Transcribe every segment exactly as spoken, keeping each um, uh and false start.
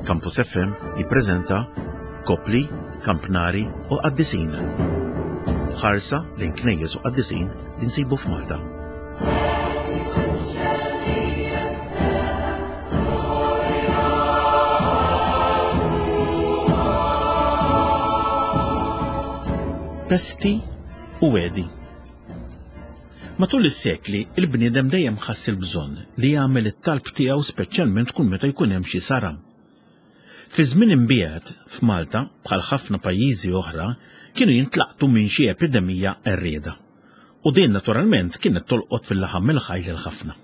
Campus F M jippreżenta Kopli, Kampnari u Qaddisin. Ħarsa lejn knejjes u qaddisin li nsibu f'Malta. Pesti u wedi. Matul is-sekli, il-bniedem dejjem ħass il-bżonn li jagħmel it-talb tiegħu speċjalment kull meta jkun hemm xi saram. Fi żmien imbiegħed f'Malta, bħal ħafna pajjiżi oħra, kienu jintlaqtu minn xi epidemija qerrieda. U din naturalment kienet tolqot fil-laħam il-ħaj lil ħafna.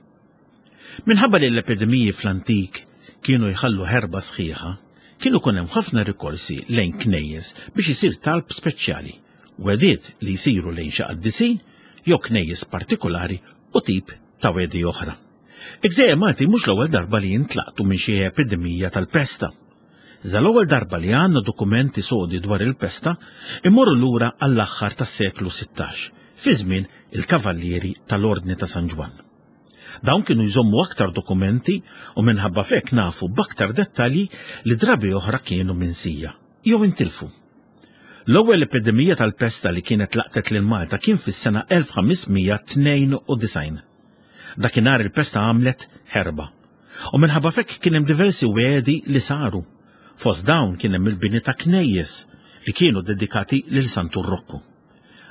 Minħabba li l-epidemiji fl-antik kienu jħallu ħerba sħiħa, kienu kun hemm ħafna rikorsi lejn knejjes biex isir talb speċjali, wegħdiet li jsiru lejn xi qaddisin jew knejjes partikolari u tip ta' wedi oħra. Il-Gżejjer Malti mhux l-ewwel darba li jintlaqtu minn xi epidemija tal-pesta. Iżda l-ewwel darba li għandna dokumenti sodi dwar il-pesta imorru lura għall-aħħar tas-seklu sittax, fi żmien il-Kavallieri tal-Ordni ta' San Ġwann. Dawn kienu jżommu aktar dokumenti u minħabba f'hekk nafu b'aktar dettalji li drabi oħra kienu minsija jew intilfu. L-ewwel epidemija tal-pesta li kienet laqtet lil Malta kien fis-sena elf ħames mija tnejn u disgħin. Dakinhar il-pesta għamlet ħerba u minħabba f'hekk kien hemm diversi wegħdi li saru. Fost dawn kien hemm il-bini ta' knejjes li kienu dedikati lil Santu Rokku.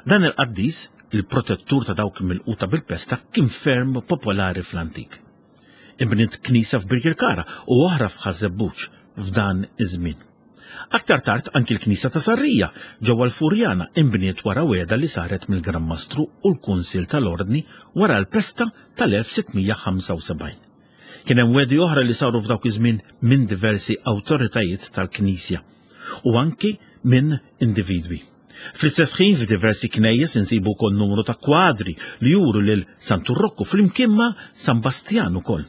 Dan il-qaddis, il-protettur ta' dawk milquta bil-pesta, kien ferm popolari fl-antik. Inbniet knisa f'Birkirkara u oħra f'Ħaż-Żebbuġ f'dan iż-żmien. Aktar tard anki l-knisa ta' Sarrija ġewwa l-Furjana inbniet wara wegħda li saret mill-Gran Mastru u l-Kunsill tal-Ordni wara l-pesta tal-elf sitt mija ħamsa u sebgħin. Kien hemm wegħdi oħra li saru f'dawk iż-żmien minn diversi awtoritajiet tal-Knisja u anki minn individwi. Fl-istess ħin f'diversi knejjes insibu wkoll numru ta' kwadri li juru lil Santu Rokku flimkien ma' San Bastjan ukoll.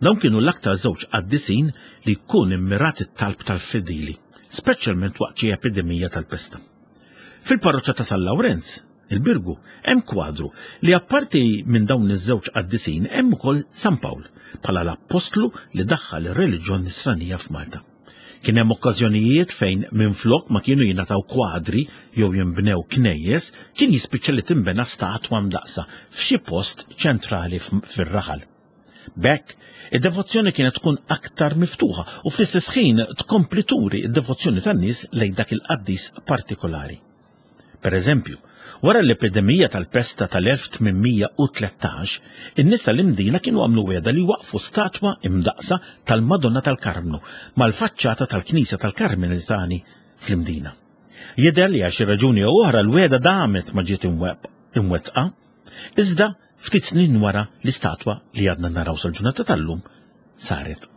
Dawn kienu l-aktar żewġ qaddisin li jkun immirat it-talb tal-fidili, speċjalment waqt xi epidemija tal-pesta. Fil-parroċċa ta' San Lawrenz, il-Birgu, hemm kwadru li apparti minn dawn iż-żewġ qaddisin hemm ukoll San Pawl bħala l-appostlu li daħħal ir-reliġjon nisranija f'Malta. Kien hemm okkażjonijiet fejn minflok ma kienu jingħataw kwadri jew jinbnew knejjes, kien jispiċċa li tinbena statwa mdaqsa f'xi post ċentrali f-, fir-raħal. B'hekk, id-devozzjoni kienet tkun aktar miftuħa u fl-istess ħin tkompli turi d-devozzjoni tan-nies lejn dak il-qaddis partikolari. Per eżempju, wara l-epidemija tal-pesta tal-elf tmien mija u tlettax, in-nies tal-Imdina kienu għamlu wegħda li waqfu statwa imdaqsa tal-Madonna tal-Karmnu mal-faċċata tal-Knisja tal-Karmelitani fl-Imdina. Jidher li għal xi raġuni jew oħra l-wegħda damet ma ġiet imweb-, imwettqa, iżda ftit snin wara l-istatwa li għadna naraw sal-ġurnata tal-lum saret.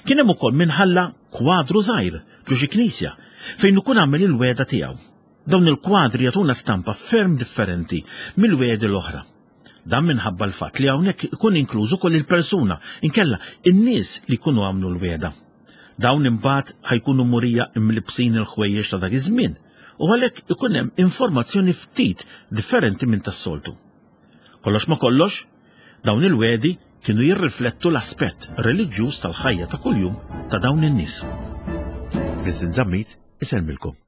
Kien hemm ukoll minħalla kwadru żgħir ġo xi knisja fejn ikun għamel il-wegħda tiegħu. Dawn il-kwadri jagħtuna stampa ferm differenti mill-wegħdi l-oħra. Dan minħabba l-fatt li hawnhekk ikun inkluż ukoll il-persuna, inkella in-nies li jkunu għamlu l-wegħda. Dawn imbagħad ħajkunu murija imlibsin il-ħwejjeġ ta' dak iż-żmien u għalhekk ikun hemm informazzjoni ftit differenti minn tas-soltu. Kollox ma kollox, dawn il-wegħdi kienu jirriflettu l-aspett reliġjuż tal-ħajja ta' kuljum ta' dawn in-nies. Vincent Zammit isellmilkom.